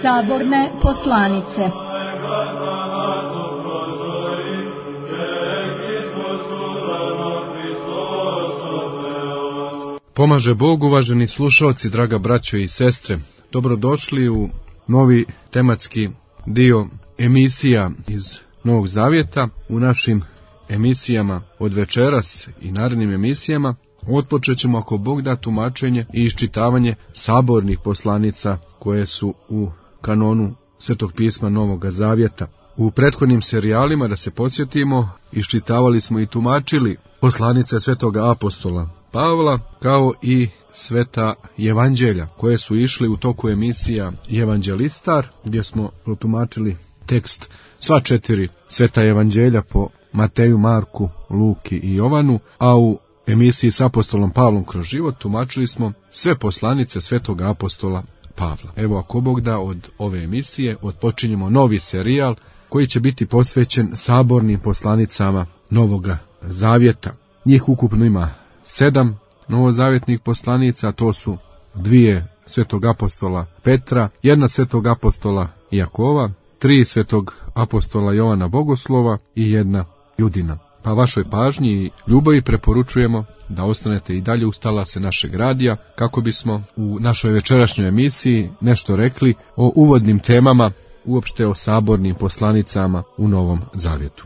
Saborne poslanice. Pomaže Bog, uvaženi slušalci, draga braćo i sestre. Dobrodošli u novi tematski dio emisija iz Novog Zavjeta. U našim emisijama od večeras i narednim emisijama otpočet ćemo, ako Bog da, tumačenje i iščitavanje sabornih poslanica koje su u kanonu Svetog pisma Novog Zavjeta. U prethodnim serijalima, da se podsjetimo, iščitavali smo i tumačili poslanice Svetoga apostola Pavla, kao i sveta evanđelja, koje su išli u toku emisija Evanđelistar, gdje smo protumačili tekst sva 4 sveta evanđelja po Mateju, Marku, Luki i Jovanu, a u emisiji s apostolom Pavlom kroz život tumačili smo sve poslanice Svetoga apostola Pavla. Evo, ako Bog da, od ove emisije odpočinjemo novi serijal koji će biti posvećen sabornim poslanicama Novoga Zavjeta. Njih ukupno ima 7 novozavjetnih poslanica, to su 2 Svetog apostola Petra, 1 Svetog apostola Jakova, 3 Svetog apostola Jovana Bogoslova i 1 Judina. Pa vašoj pažnji i ljubavi preporučujemo da ostanete i dalje uz talase našeg radija, kako bismo u našoj večerašnjoj emisiji nešto rekli o uvodnim temama, uopšte o sabornim poslanicama u Novom Zavjetu.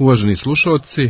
Uvaženi slušalci,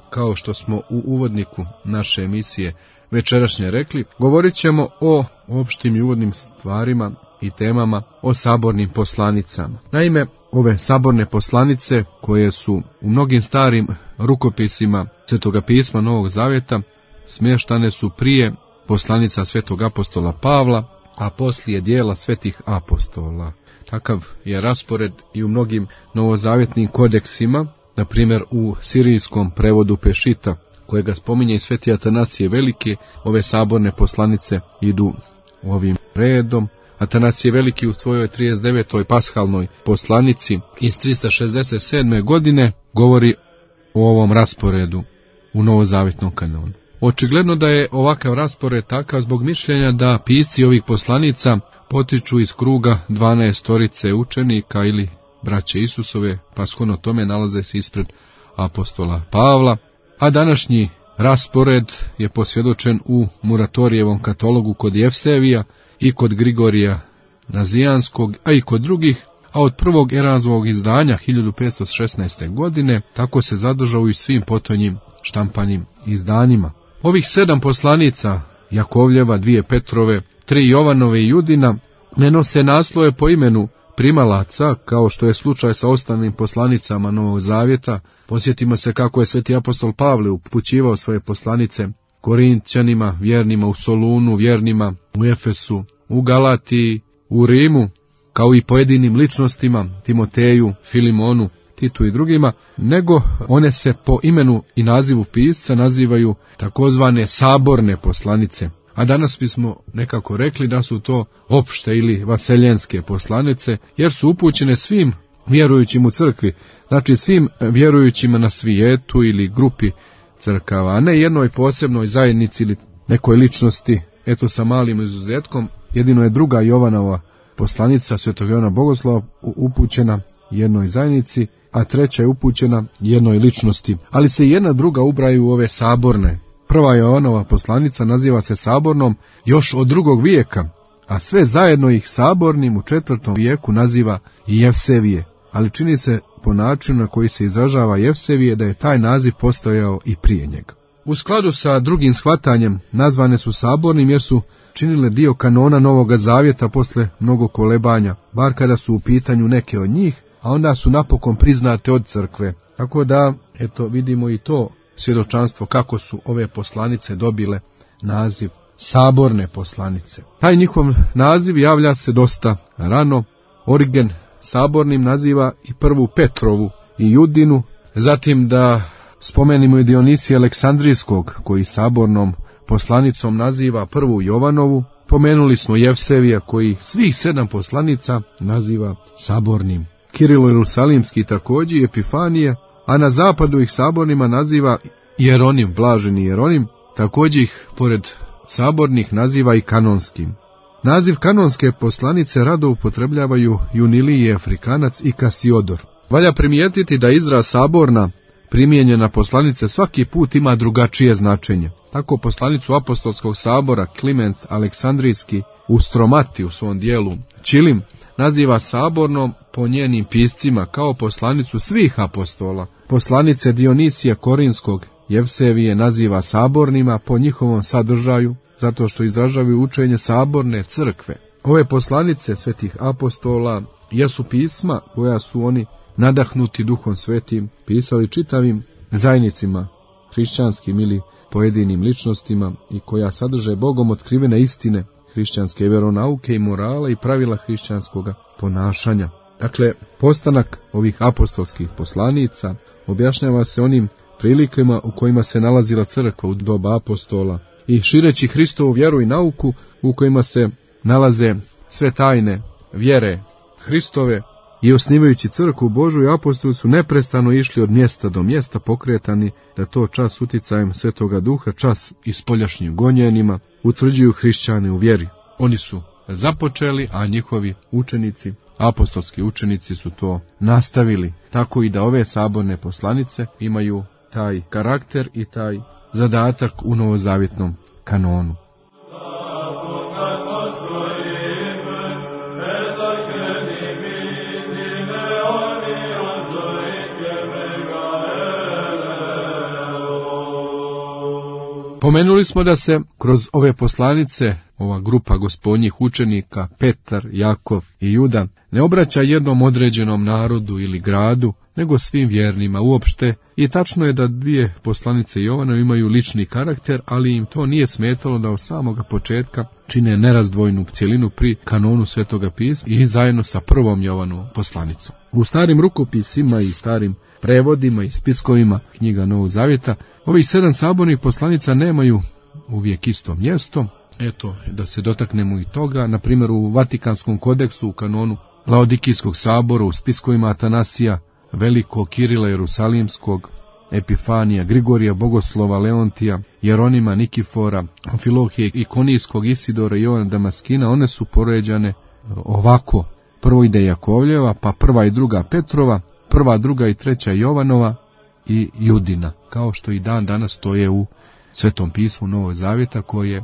kao što smo u uvodniku naše emisije večerašnje rekli, govorit ćemo o opštim i uvodnim stvarima i temama o sabornim poslanicama. Naime, ove saborne poslanice, koje su u mnogim starim rukopisima Svetoga pisma Novog Zavjeta, smještane su prije poslanica Svetog apostola Pavla, a poslije dijela svetih apostola. Takav je raspored i u mnogim novozavjetnim kodeksima. Na primjer, u sirijskom prevodu Pešita, kojega spominje i sveti Atanasije Veliki, ove saborne poslanice idu ovim redom. Atanasije Veliki u svojoj 39. pashalnoj poslanici iz 367. godine govori o ovom rasporedu u novozavjetnom kanonu. Očigledno da je ovakav raspored takav zbog mišljenja da pisci ovih poslanica potiču iz kruga 12 učenika ili braće Isusove, pa shodno tome nalaze se ispred apostola Pavla, a današnji raspored je posvjedočen u Muratorijevom katalogu kod Jevsevija i kod Grigorija Nazijanskog, a i kod drugih, a od prvog Erazmovog izdanja 1516. godine tako se zadržao i svim potonjim štampanim izdanjima. Ovih 7 poslanica, Jakovljeva, 2 Petrove, 3 Jovanove i Judina, ne nose naslove po imenu primalaca, kao što je slučaj sa ostalim poslanicama Novog Zavjeta. Posjetimo se kako je sveti apostol Pavle upućivao svoje poslanice Korinćanima, vjernima u Solunu, vjernima u Efesu, u Galatiji, u Rimu, kao i pojedinim ličnostima, Timoteju, Filimonu, Titu i drugima, nego one se po imenu i nazivu pisca nazivaju takozvane saborne poslanice. A danas bismo nekako rekli da su to opšte ili vaseljenske poslanice, jer su upućene svim vjerujućim u crkvi, znači svim vjerujućima na svijetu ili grupi crkava, a ne jednoj posebnoj zajednici ili nekoj ličnosti, eto sa malim izuzetkom. Jedino je 2. Jovanova poslanica Svetog Jovana Bogoslova upućena jednoj zajednici, a 3. je upućena jednoj ličnosti, ali se jedna druga ubraju u ove saborne. 1. Jovanova poslanica naziva se sabornom još od 2. vijeka, a sve zajedno ih sabornim u 4. vijeku naziva i Jevsevije, ali čini se po načinu na koji se izražava Jevsevije da je taj naziv postojao i prije njega. U skladu sa drugim shvatanjem nazvane su sabornim jer su činile dio kanona Novoga Zavjeta posle mnogo kolebanja, bar kada su u pitanju neke od njih, a onda su napokon priznate od crkve. Tako da, eto, vidimo i to svjedočanstvo kako su ove poslanice dobile naziv saborne poslanice. Taj njihov naziv javlja se dosta rano. Origen sabornim naziva i 1. Petrovu i Judinu, zatim da spomenimo i Dionisija Aleksandrijskog, koji sabornom poslanicom naziva prvu Jovanovu. Pomenuli smo Jevsevija koji svih 7 poslanica naziva sabornim. Kirilo Jerusalimski također Epifanije, a na zapadu ih sabornima naziva Jeronim, blaženi Jeronim, također ih pored sabornih naziva i kanonskim. Naziv kanonske poslanice rado upotrebljavaju Junilije Afrikanac i Kasiodor. Valja primijetiti da izraz saborna primijenjena poslanice svaki put ima drugačije značenje. Tako poslanicu apostolskog sabora Kliment Aleksandrijski u Stromati u svom dijelu Čilim naziva sabornom po njenim piscima kao poslanicu svih apostola. Poslanice Dionisija Korinskog Jevsevije naziva sabornima po njihovom sadržaju, zato što izražavaju učenje saborne crkve. Ove poslanice svetih apostola jesu pisma koja su oni nadahnuti Duhom Svetim pisali čitavim zajednicima, hrišćanskim ili pojedinim ličnostima i koja sadrže Bogom otkrivene istine hrišćanske veronauke i morala i pravila hrišćanskog ponašanja. Dakle, postanak ovih apostolskih poslanica objašnjava se onim prilikama u kojima se nalazila crkva u doba apostola i šireći Hristovu vjeru i nauku u kojima se nalaze sve tajne vjere Hristove i osnivajući crkvu Božju, apostoli su neprestano išli od mjesta do mjesta pokretani da to čas uticajem Svetoga Duha, čas i spoljašnjim gonjenima utvrđuju hrišćane u vjeri. Oni su započeli, a njihovi učenici, apostolski učenici su to nastavili. Tako i da ove saborne poslanice imaju taj karakter i taj zadatak u novozavjetnom kanonu. Pomenuli smo da se kroz ove poslanice, ova grupa gospodnjih učenika, Petar, Jakov i Juda, ne obraća jednom određenom narodu ili gradu, nego svim vjernima uopšte. I tačno je da 2 poslanice Jovana imaju lični karakter, ali im to nije smetalo da od samoga početka čine nerazdvojnu cjelinu pri kanonu Svetoga pisma i zajedno sa prvom Jovanovom poslanicom. U starim rukopisima i starim prevodima i spiskovima knjiga Novog Zavjeta ovih 7 sabornih poslanica nemaju uvijek isto mjesto. Eto, da se dotaknemo i toga, na primjer u Vatikanskom kodeksu u kanonu Laodikijskog sabora, u spiskovima Atanasija Velikog, Kirila Jerusalimskog, Epifanija, Grigorija Bogoslova, Leontija, Jeronima, Nikifora, Amfilohije, Ikonijskog, Isidora i Jovana Damaskina, one su poređane ovako: prvo ide Jakovljeva, pa prva i druga Petrova, prva, druga i treća Jovanova i Judina, kao što i dan danas stoje u Svetom pismu Novog Zavjeta koje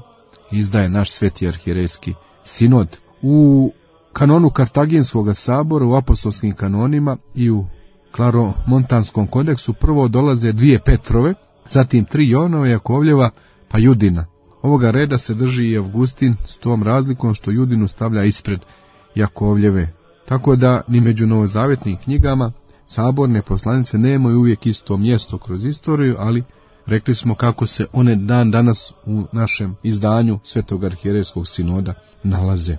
izdaje naš Sveti arhirejski sinod. U kanonu Kartaginskog sabora, u apostolskim kanonima i u Klaromontanskom kodeksu prvo dolaze 2 Petrove, zatim 3 Jovanova, Jakovljeva, pa Judina. Ovoga reda se drži i Avgustin s tom razlikom što Judinu stavlja ispred Jakovljeve. Tako da ni među novozavjetnim knjigama saborne poslanice nemaju uvijek isto mjesto kroz istoriju, ali rekli smo kako se one dan danas u našem izdanju Svetog arhierejskog sinoda nalaze.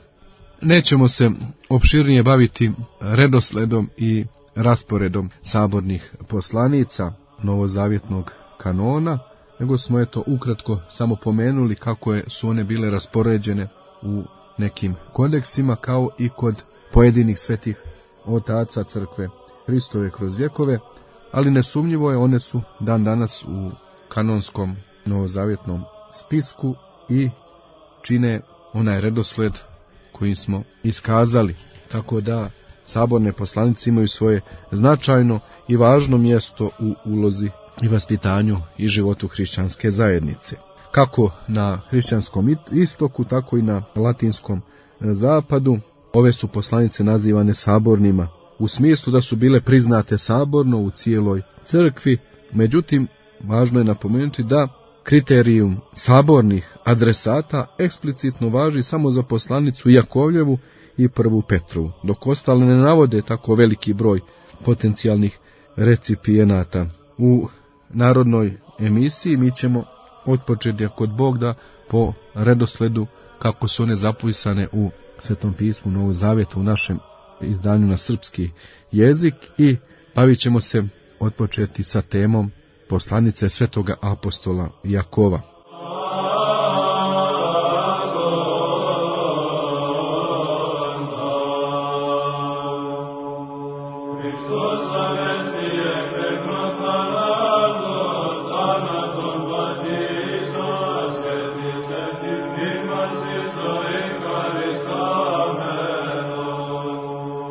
Nećemo se opširnije baviti redosledom i rasporedom sabornih poslanica novozavjetnog kanona, nego smo ukratko samo pomenuli kako su one bile raspoređene u nekim kodeksima, kao i kod pojedinih svetih otaca crkve Hristove kroz vjekove, ali nesumnjivo je one su dan danas u kanonskom novozavjetnom spisku i čine onaj redosled koji smo iskazali, tako da saborne poslanice imaju svoje značajno i važno mjesto u ulozi i vaspitanju i životu hrišćanske zajednice. Kako na hrišćanskom istoku, tako i na latinskom zapadu, ove su poslanice nazivane sabornima, u smislu da su bile priznate saborno u cijeloj crkvi. Međutim, važno je napomenuti da kriterijum sabornih adresata eksplicitno važi samo za poslanicu Jakovljevu i prvu Petrovu, dok ostale ne navode tako veliki broj potencijalnih recipijenata. U narodnoj emisiji mi ćemo otpočeti, ako Bog da, po redosledu kako su one zapisane u Svetom pismu Novog Zavjeta u našem izdanju na srpski jezik i bavit ćemo se otpočeti sa temom poslanice Svetoga apostola Jakova.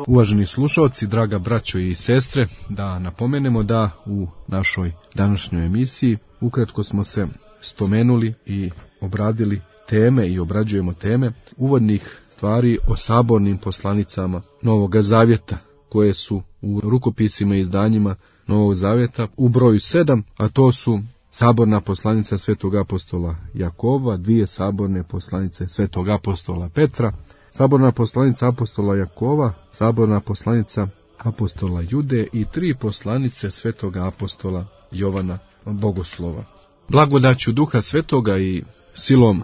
Uvaženi slušalci, draga braćo i sestre, da napomenemo da u našoj današnjoj emisiji ukratko smo se spomenuli i obradili teme i obrađujemo teme uvodnih stvari o sabornim poslanicama Novoga Zavjeta, koje su u rukopisima i izdanjima Novog Zavjeta u broju 7, a to su saborna poslanica svetog apostola Jakova, 2 saborne poslanice svetog apostola Petra, saborna poslanica apostola Jakova, saborna poslanica apostola Jude i 3 poslanice svetoga apostola Jovana Bogoslova. Blagodaću Duha Svetoga i silom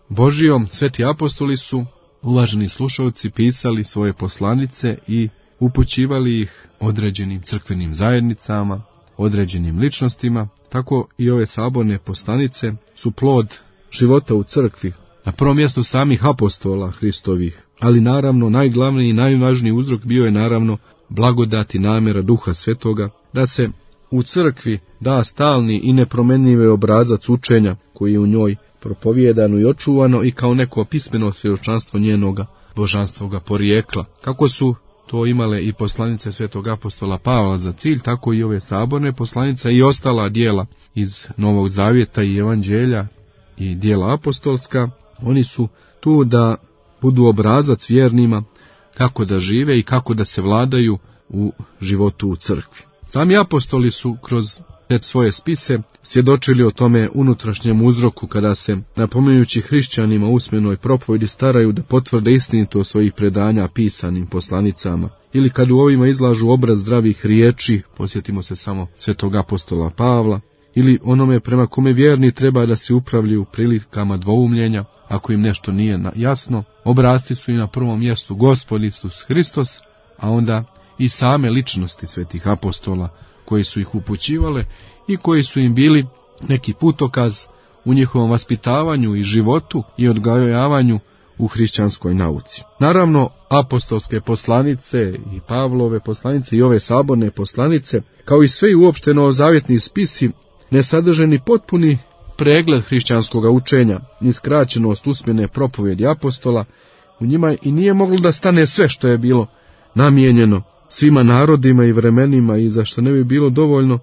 Božijom sveti apostoli su, uvaženi slušalci, pisali svoje poslanice i upućivali ih određenim crkvenim zajednicama, određenim ličnostima. Tako i ove saborne poslanice su plod života u crkvi, na prvom mjestu samih apostola Hristovih, ali naravno najglavniji i najvažniji uzrok bio je naravno blagodat i namjera Duha Svetoga da se u crkvi da stalni i nepromjenjivi obrazac učenja koji je u njoj propovijedano i očuvano i kao neko pismeno svjedočanstvo njenoga božanstvoga porijekla. Kako su to imale i poslanice svetog apostola Pavla za cilj, tako i ove saborne poslanice i ostala dijela iz Novog Zavjeta i evanđelja i dijela apostolska. Oni su tu da budu obrazac vjernima kako da žive i kako da se vladaju u životu u crkvi. Sami apostoli su kroz te svoje spise svjedočili o tome unutrašnjem uzroku kada se, napominjući hrišćanima usmenoj propovjedi, staraju da potvrde istinitost svojih predanja pisanim poslanicama, ili kad u ovima izlažu obraz zdravih riječi, posjetimo se samo svetog apostola Pavla, ili onome prema kome vjerni treba da se upravljaju u prilikama dvoumljenja, ako im nešto nije jasno, obrasti su i na prvom mjestu Gospod Isus Hristos, a onda i same ličnosti svetih apostola koji su ih upućivale i koji su im bili neki putokaz u njihovom vaspitavanju i životu i odgajavanju u hrišćanskoj nauci. Naravno, apostolske poslanice i Pavlove poslanice i ove saborne poslanice, kao i sve uopšte novozavjetni spisi, ne sadrže ni potpuni pregled hrišćanskog učenja, ni skraćenost usmene propovjedi apostola. U njima i nije moglo da stane sve što je bilo namijenjeno svima narodima i vremenima i za što ne bi bilo dovoljno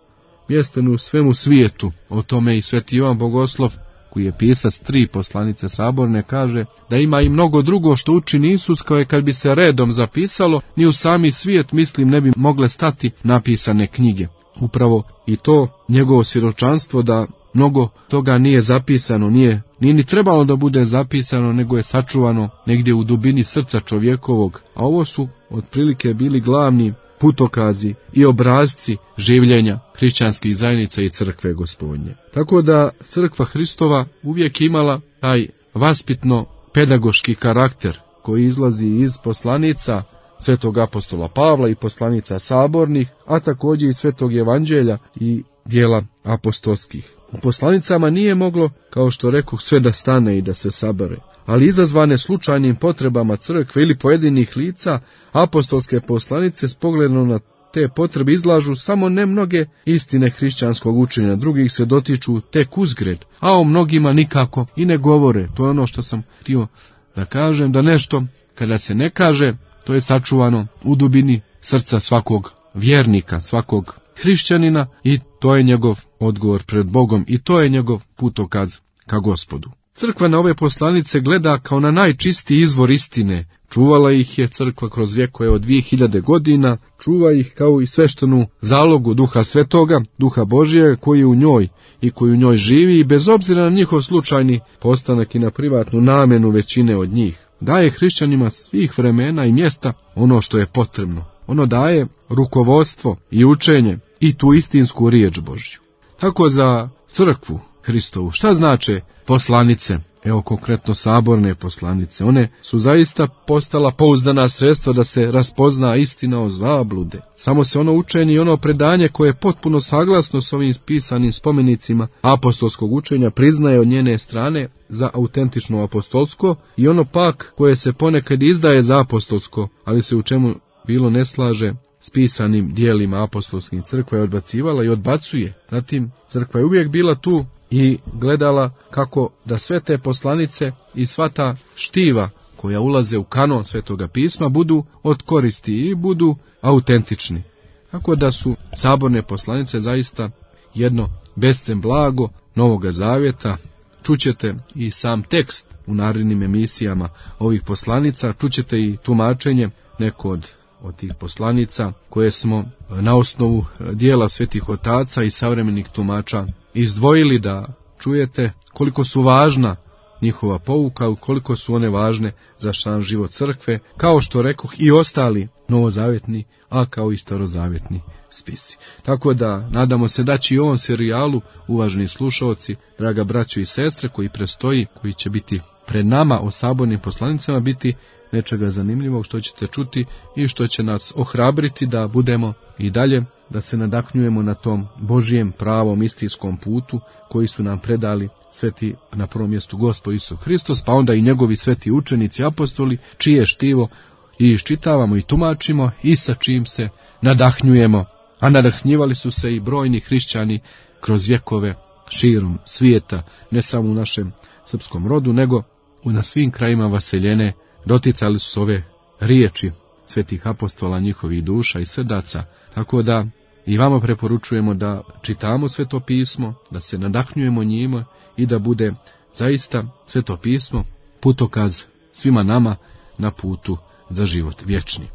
mjesta u svemu svijetu. O tome i sveti Ivan Bogoslov, koji je pisac 3 poslanice saborne, kaže da ima i mnogo drugo što učini Isus, koje kad bi se redom zapisalo, ni u sami svijet, mislim, ne bi mogle stati napisane knjige. Upravo i to njegovo svjedočanstvo da mnogo toga nije zapisano, nije ni trebalo da bude zapisano, nego je sačuvano negdje u dubini srca čovjekovog, a ovo su otprilike bili glavni putokazi i obrazci življenja hrišćanskih zajednica i crkve Gospodnje. Tako da crkva Hristova uvijek imala taj vaspitno-pedagoški karakter koji izlazi iz poslanica svetog apostola Pavla i poslanica sabornih, a također i svetog evanđelja i dijela apostolskih. U poslanicama nije moglo, kao što rekoh, sve da stane i da se sabere, ali izazvane slučajnim potrebama crkve ili pojedinih lica, apostolske poslanice s pogledom na te potrebe izlažu samo ne mnoge istine hrišćanskog učenja, drugih se dotiču tek uzgred, a o mnogima nikako i ne govore. To je ono što sam htio da kažem, da nešto kada se ne kaže, to je sačuvano u dubini srca svakog vjernika, svakog hrišćanina, i to je njegov odgovor pred Bogom i to je njegov putokaz ka Gospodu. Crkva na ove poslanice gleda kao na najčistiji izvor istine. Čuvala ih je crkva kroz vjekove od 2000 godina, čuva ih kao i sveštenu zalogu Duha Svetoga, Duha Božije koji je u njoj i koji u njoj živi, i bez obzira na njihov slučajni postanak i na privatnu namjenu većine od njih, daje hrišćanima svih vremena i mjesta ono što je potrebno. Ono daje rukovodstvo i učenje i tu istinsku riječ Božju. Tako za crkvu Hristovu šta znače poslanice? Evo konkretno saborne poslanice. One su zaista postala pouzdana sredstva da se raspozna istina o zablude. Samo se ono učenje i ono predanje koje je potpuno saglasno s ovim pisanim spomenicima apostolskog učenja priznaje od njene strane za autentično apostolsko, i ono pak koje se ponekad izdaje za apostolsko, ali se u čemu bilo ne slaže s pisanim dijelima apostolskim, crkva je odbacivala i odbacuje. Zatim crkva je uvijek bila tu i gledala kako da sve te poslanice i sva ta štiva koja ulaze u kanon Svetoga pisma budu od koristi i budu autentični. Tako da su saborne poslanice zaista jedno bescen blago Novoga Zavjeta. Čućete i sam tekst u narednim emisijama ovih poslanica, čućete i tumačenje neko od tih poslanica koje smo na osnovu dijela svetih otaca i savremenih tumača izdvojili da čujete koliko su važna njihova pouka, koliko su one važne za sam život crkve, kao što rekoh i ostali novozavjetni, a kao i starozavjetni spisi. Tako da nadamo se da će i u ovom serijalu, uvaženi slušaoci, draga braćo i sestre, koji predstoji, koji će biti pred nama o sabornim poslanicama, biti nečega zanimljivog što ćete čuti i što će nas ohrabriti da budemo i dalje, da se nadahnjujemo na tom Božijem pravom istinskom putu koji su nam predali sveti, na prvom mjestu Gospod Isus Hristos, pa onda i njegovi sveti učenici apostoli, čije štivo i iščitavamo i tumačimo i sa čim se nadahnjujemo. A nadahnjivali su se i brojni hrišćani kroz vjekove širom svijeta, ne samo u našem srpskom rodu, nego na svim krajima vaseljene. Doticali su ove riječi svetih apostola, njihovih duša i srdaca, tako da i vama preporučujemo da čitamo Sveto pismo, da se nadahnjujemo njima i da bude zaista Sveto pismo putokaz svima nama na putu za život vječni.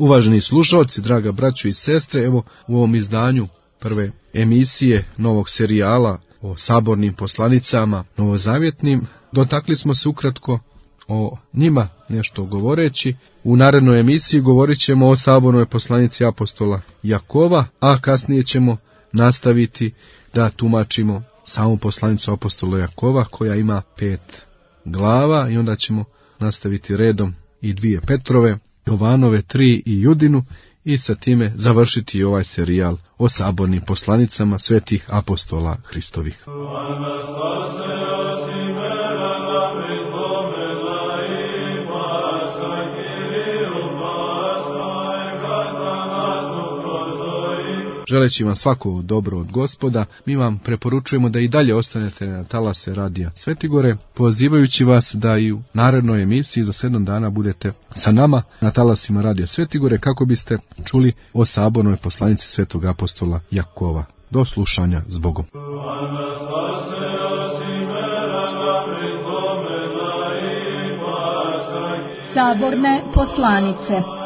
Uvaženi slušalci, draga braćo i sestre, evo u ovom izdanju prve emisije novog serijala o sabornim poslanicama novozavjetnim, dotakli smo se ukratko o njima nešto govoreći. U narednoj emisiji govorit ćemo o sabornoj poslanici apostola Jakova, a kasnije ćemo nastaviti da tumačimo samu poslanicu apostola Jakova koja ima 5 glava i onda ćemo nastaviti redom i 2 Petrove, Jovanove 3 i Judinu i sa time završiti ovaj serijal o sabornim poslanicama svetih apostola Hristovih. Želeći vam svako dobro od Gospoda, mi vam preporučujemo da i dalje ostanete na talase radija Svetigore, pozivajući vas da i u narednoj emisiji za 7 dana budete sa nama na talasima radija Svetigore kako biste čuli o sabornoj poslanici svetog apostola Jakova. Do slušanja s Bogom. Saborne poslanice.